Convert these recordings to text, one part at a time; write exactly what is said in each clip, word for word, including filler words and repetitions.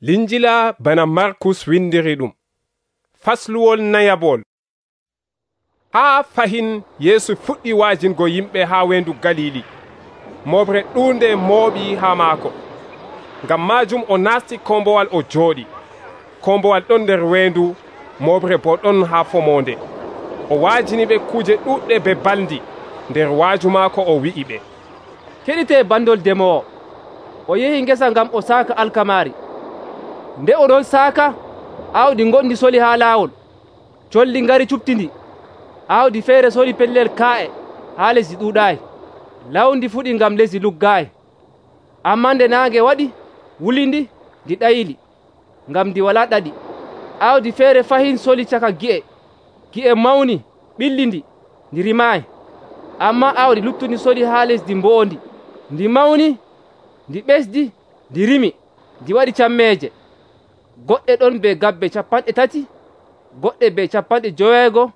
Linjila bana Markus windiri ɗum. Fasluwol nayabol. Haa fahin Yeesu fuɗɗi waajingo yimɓe haa wendu Galili. Moɓre ɗuunde mooɓi haa maako. Ngam maajum o naasti kombowal o jooɗi. Kombowal ɗon nder wendu, moɓre bo ɗon haa fomonde. O waajini ɓe kuje ɗuɗɗe be baldi. Nder waaju maako o wi'i ɓe, keɗite bandol demowo. O yehi ngesa ngam o saaka alkamaari. Nde o ɗon saaka, aawdi gondi soli haa laawol. Colli ngari cuɓtindi. Aawdi feere soli pellel kaa'e haa lesdi ɗuuɗaayi. Lawndi fuɗi ngam lesdi luggaayi. Ammaa nde naange waɗi, wulindi, ndi ɗayili, ngam ndi walaa ɗaɗi. Aawdi feere fahin soli caka gi'e. Gi'e mawni, ɓillindi, ndi rimaayi. Ammaa aawdi luttundi soli haa lesdi mboondi. Ndi mawni, ndi ɓesdi, ndi rimi, ndi waɗi cammeeje. Goɗɗe ɗon be gabbe capanɗe tati, goɗɗe be capanɗe joweego,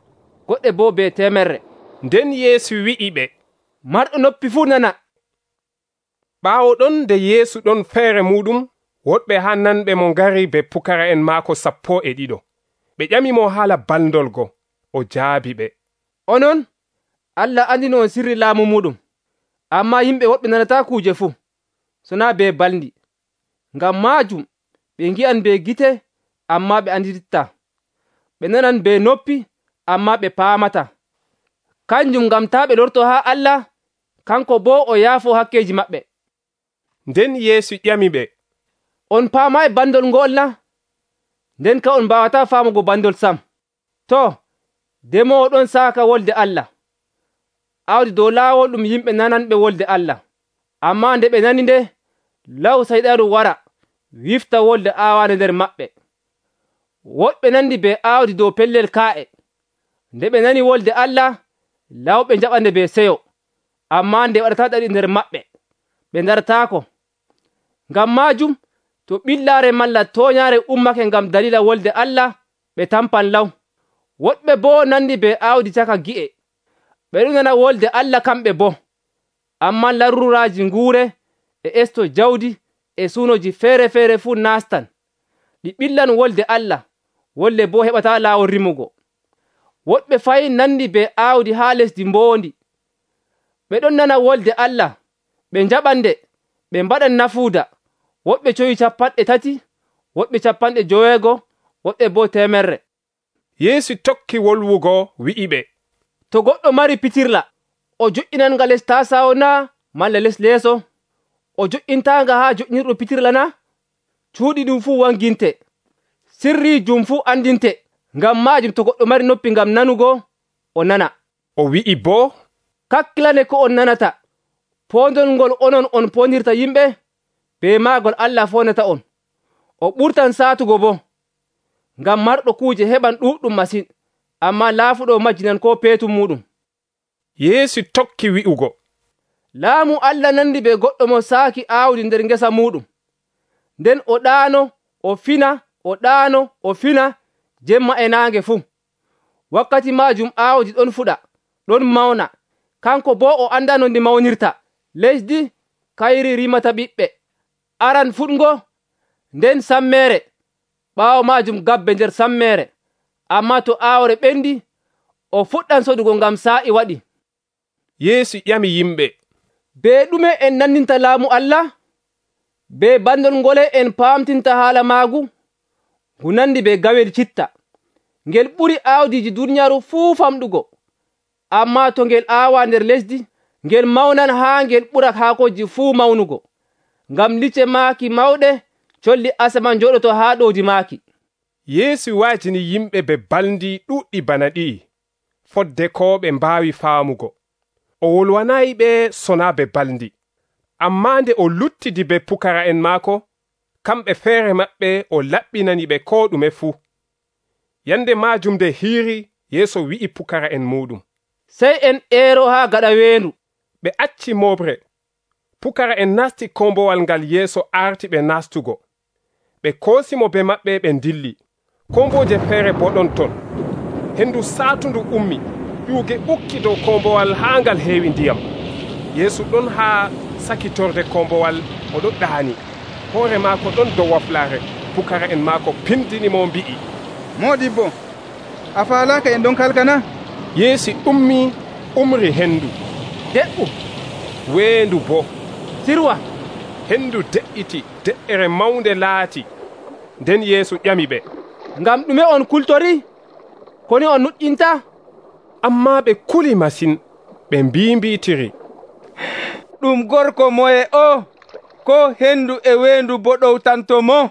goɗɗe boo be temerre. Nden Yeesu wi'i ɓe, marɗo noppi fuu nana. Ɓaawo ɗon nde Yeesu ɗon feere muɗum, woɗɓe haa nanɓe mo ngari be pukara'en maako sappo e ɗiɗo. Ɓe ƴamimo haala baldolgo. O jaabi ɓe, onon, Allah andino on sirri laamu muɗum, ammaa yimɓe woɓɓe nanata kuuje fuu, so naa be balndi. Ngam maajum ɓe ngi'an be gite, ammaa ɓe andititta. Ɓe nanan be noppi, ammaa ɓe paamata. Kanjum ngam taa ɓe lorto haa Allah, kanko boo o yaafo hakkeeji maɓɓe. Nden Yeesu ƴami ɓe, on paamaayi bandol ngol na? Nden ka on mbaawataa faamugo bandol sam. To, demowo ɗon saaka wolde Allah. Aawdi dow laawol ɗum yimɓe nananɓe wolde Allah. Ammaa nde ɓe nani nde, law sayɗaaru wara wifta wolde aawaande nder maɓɓe. Woɗɓe nandi be aawdi dow pellel kaa'e. Nde ɓe nani wolde Allah, lawɓe njaɓande be seyo. Ammaa nde waɗataa ɗaɗi nder maɓɓe, ɓe ndarataako. Ngam maajum, to ɓillaare malla tooñaare ummake ngam dalila wolde Allah, ɓe tampan law. Woɗɓe boo nandi be aawdi caka gi'e. Ɓe ɗon nana wolde Allah kamɓe boo. Ammaa laruraaji nguure e esto jawdi e suunoji feere-feere fuu naastan. Ɗi ɓillan wolde Allah, wolde boo heɓataa laawol rimugo. Woɗɓe fayin nandi be aawdi haa lesdi mboondi. Ɓe ɗon nana wolde Allah, ɓe njaɓande, ɓe mbaɗan nafuuda. Woɓɓe coyi capanɗe tati, woɓɓe capanɗe joweego, woɓɓe boo temerre. Yeesu tokki wolwugo wi'i ɓe, to goɗɗo mari pitirla, o joƴƴinanga les tasawo naa malla les leeso? O joƴƴintaanga haa joƴƴinirɗo pitirla naa? Cuuɗi ɗum fuu wanginte, sirriijum fuu andinte. Ngam maajum to goɗɗo mari noppi ngam nanugo, o nana. O wi'i boo, kakkilane ko on nanata. Poondol ngol onon on poondirta yimɓe, be maagol Allah foonata on. O ɓurtan saatugo boo. Ngam marɗo kuuje heɓan ɗuuɗɗum masin, ammaa laafuɗo majjinan koo peetum muɗum. Yeesu tokki wi'ugo, laamu Allah nandi be goɗɗo mo saaki aawdi nder ngesa muɗum. Nden o ɗaano, o fina, o ɗaano, o fina, jemma e naange fuu. Wakkati maajum aawdi ɗon fuɗa, ɗon mawna. Kanko boo o anda no ndi mawnirta. Lesdi kayri rimata ɓiɓɓe. Aran fuɗngo, nden sammeere. Ɓaawo maajum gabbe nder sammeere. Ammaa to aawre ɓendi, o fuɗɗan sodugo ngam saa'i waɗi. Yeesu ƴami yimɓe, be ɗume en nandinta laamu Allah? Be bandol ngole en paamtinta haala maagu? Ngu nandi be gawel citta. Ngel ɓuri aawdiiji duniyaaru fuu famɗugo. Ammaa to ngel aawa nder lesdi, ngel mawnan haa ngel ɓura haakoji fuu mawnugo. Ngam lice maaki mawɗe, colli asaman njooɗoto haa ɗoodi maaki. Yeesu waajini yimɓe be balndi ɗuɗɗi bana ɗi'i, fodde ko ɓe mbaawi faamugo. O wolwanayi ɓe sonaa be balndi. Ammaa nde o luttidi be pukara'en maako, kamɓe feere maɓɓe o laɓɓinani ɓe koo ɗume fuu. Yande maajum nde hiiri, Yeesu wi'i pukara'en muɗum, sey en eero haa gaɗa weendu. Ɓe acci moɓre. Pukara'en nasti kombowal ngal Yeesu arti ɓe nastugo. Ɓe koosimo be maɓɓe ɓe dilli. Komboje feere bo ɗon ton. Hendu saatundu ummi, ƴuuge ɓukki dow kombowal haa ngal heewi ndiyam. Yeesu ɗon haa sakitorde kombowal, o ɗon ɗaani. Hoore maako ɗon dow waflaare. pukara'en maako pindinimo mbi'i, Moodibbo, a faalaaka en ɗon kalkana? Yeesu ummii umri hendu. De''u. Weendu boo sirwa. hendu de'iti, de'ere mawnde laati. Nden Yeesu ƴami ɓe, ngam ɗume on kultori? Ko ni on nuƴƴinta? Ammaa ɓe kuli masin, ɓe mbiimbiitiri, ɗum gorko moye o? Ko hendu e weendu boo ɗowtanto mo?